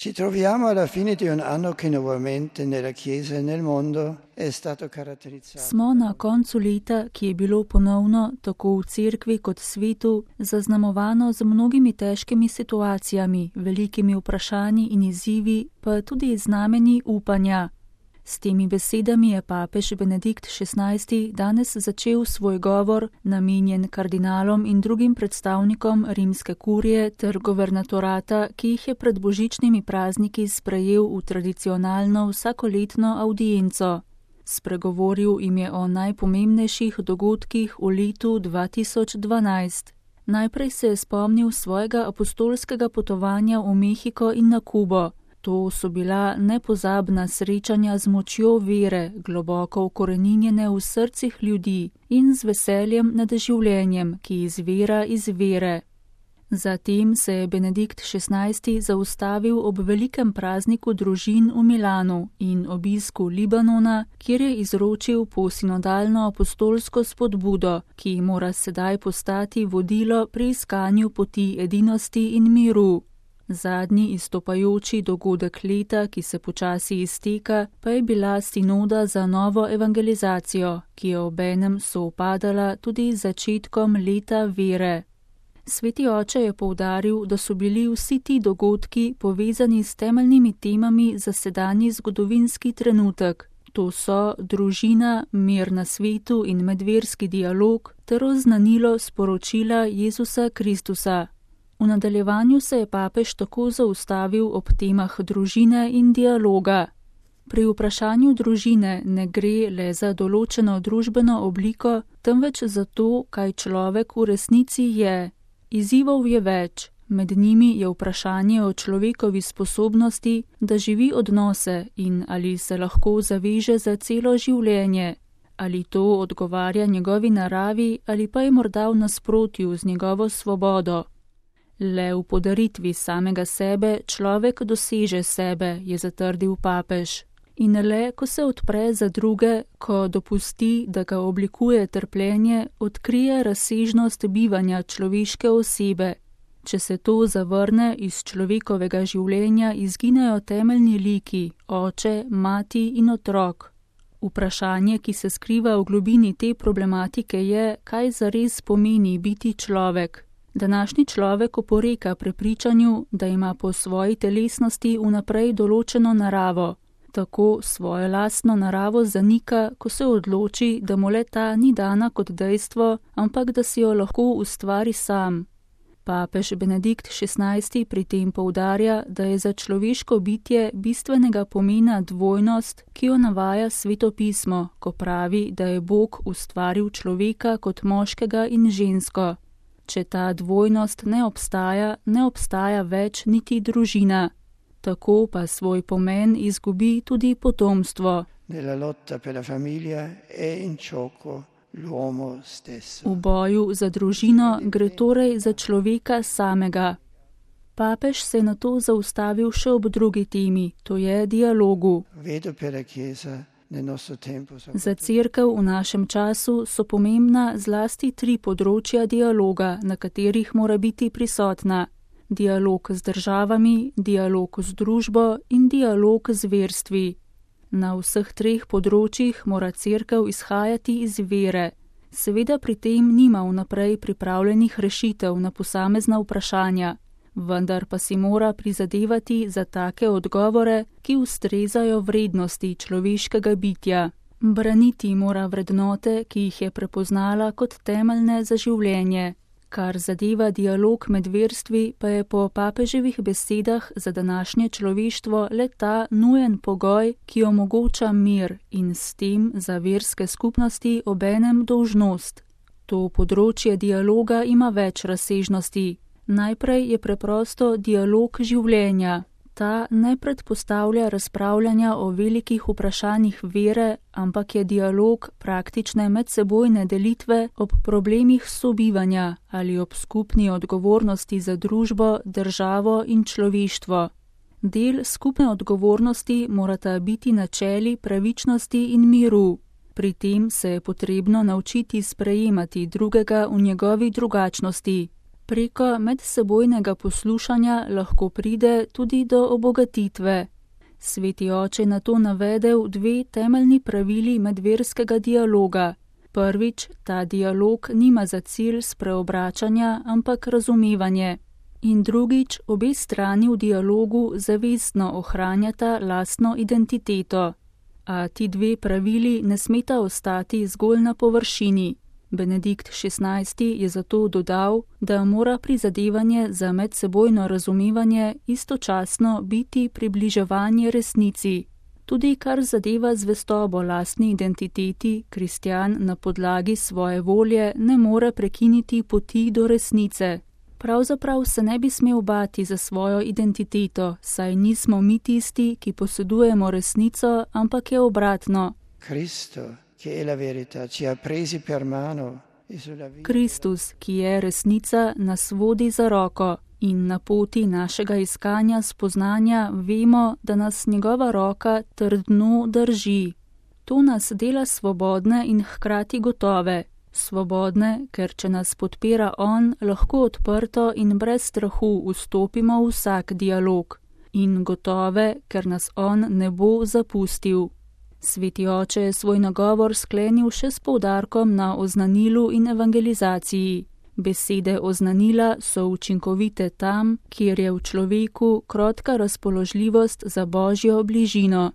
Ci troviamo alla fine di un anno che nuovamente nella Chiesa e nel mondo è stato caratterizzato. Smo na koncu leta, ki je bilo ponovno, tako v cerkvi kot svetu, zaznamovano z mnogimi težkimi situacijami, velikimi vprašanji in izzivi, pa tudi znameni upanja. S temi besedami je papež Benedikt XVI danes začel svoj govor, namenjen kardinalom in drugim predstavnikom rimske kurije ter guvernatorata, ki jih je pred božičnimi prazniki sprejel v tradicionalno vsakoletno audienco. Spregovoril jim je o najpomembnejših dogodkih v letu 2012. Najprej se je spomnil svojega apostolskega potovanja v Mehiko in na Kubo. To so bila nepozabna srečanja z močjo vere, globoko ukoreninjene v srcih ljudi in z veseljem nad življenjem, ki izvira iz vere. Zatem se je Benedikt XVI zaustavil ob velikem prazniku družin v Milanu in obisku Libanona, kjer je izročil posinodalno apostolsko spodbudo, ki mora sedaj postati vodilo pri iskanju poti edinosti in miru. Zadnji izstopajoči dogodek leta, ki se počasi izteka, pa je bila sinoda za novo evangelizacijo, ki je obenem sovpadala tudi z začetkom leta vere. Sveti oče je poudaril, da so bili vsi ti dogodki povezani s temeljnimi temami za sedanji zgodovinski trenutek. To so družina, mir na svetu in medverski dialog ter oznanilo sporočila Jezusa Kristusa. V nadaljevanju se je papež tako zaustavil ob temah družine in dialoga. Pri vprašanju družine ne gre le za določeno družbeno obliko, temveč za to, kaj človek v resnici je. Izzivov je več, med njimi je vprašanje o človekovi sposobnosti, da živi odnose in ali se lahko zaveže za celo življenje. Ali to odgovarja njegovi naravi ali pa je morda v nasprotju z njegovo svobodo. Le v podaritvi samega sebe človek doseže sebe, je zatrdil papež. In le, ko se odpre za druge, ko dopusti, da ga oblikuje trpljenje, odkrije razsežnost bivanja človeške osebe. Če se to zavrne, iz človekovega življenja izginejo temeljni liki, oče, mati in otrok. Vprašanje, ki se skriva v globini te problematike je, kaj zares pomeni biti človek. Današnji človek oporeka prepričanju, da ima po svoji telesnosti vnaprej določeno naravo. Tako svojo lastno naravo zanika, ko se odloči, da mu le ta ni dana kot dejstvo, ampak da si jo lahko ustvari sam. Papež Benedikt XVI pri tem poudarja, da je za človeško bitje bistvenega pomena dvojnost, ki jo navaja Sveto pismo, ko pravi, da je Bog ustvaril človeka kot moškega in žensko. Če ta dvojnost ne obstaja več niti družina. Tako pa svoj pomen izgubi tudi potomstvo. V boju za družino gre torej za človeka samega. Papež se je nato zaustavil še ob drugi temi, to je dialogu. Za cerkev v našem času so pomembna zlasti 3 področja dialoga, na katerih mora biti prisotna. Dialog z državami, dialog z družbo in dialog z verstvi. Na vseh 3 področjih mora cerkev izhajati iz vere. Seveda pri tem nima vnaprej pripravljenih rešitev na posamezna vprašanja, vendar pa si mora prizadevati za take odgovore, ki ustrezajo vrednosti človeškega bitja. Braniti mora vrednote, ki jih je prepoznala kot temeljne za življenje. Kar zadeva dialog med verstvi, pa je po papeževih besedah za današnje človeštvo le ta nujen pogoj, ki omogoča mir in s tem za verske skupnosti obenem dolžnost. To področje dialoga ima več razsežnosti. Najprej je preprosto dialog življenja. Ta ne predpostavlja razpravljanja o velikih vprašanjih vere, ampak je dialog praktične medsebojne delitve ob problemih sobivanja ali ob skupni odgovornosti za družbo, državo in človeštvo. Del skupne odgovornosti morata biti načeli pravičnosti in miru. Pri tem se je potrebno naučiti sprejemati drugega v njegovi drugačnosti. Preko medsebojnega poslušanja lahko pride tudi do obogatitve. Sveti oče na to navedel 2 temeljni pravili medverskega dialoga. Prvič, ta dialog nima za cilj spreobračanja, ampak razumevanje. In drugič, obe strani v dialogu zavestno ohranjata lastno identiteto. A ti 2 pravili ne smeta ostati zgolj na površini. Benedikt XVI. Je zato dodal, da mora prizadevanje za medsebojno razumevanje istočasno biti približevanje resnici. Tudi kar zadeva zvestobo lastni identiteti, kristjan na podlagi svoje volje ne more prekiniti poti do resnice. Pravzaprav se ne bi smel bati za svojo identiteto, saj nismo mi tisti, ki posedujemo resnico, ampak je obratno. Kristus, ki je resnica, nas vodi za roko in na poti našega iskanja spoznanja vemo, da nas njegova roka trdno drži. To nas dela svobodne in hkrati gotove. Svobodne, ker če nas podpira on, lahko odprto in brez strahu vstopimo v vsak dialog. In gotove, ker nas on ne bo zapustil. Sveti oče je svoj nagovor sklenil še s poudarkom na oznanilu in evangelizaciji. Besede oznanila so učinkovite tam, kjer je v človeku krotka razpoložljivost za Božjo bližino.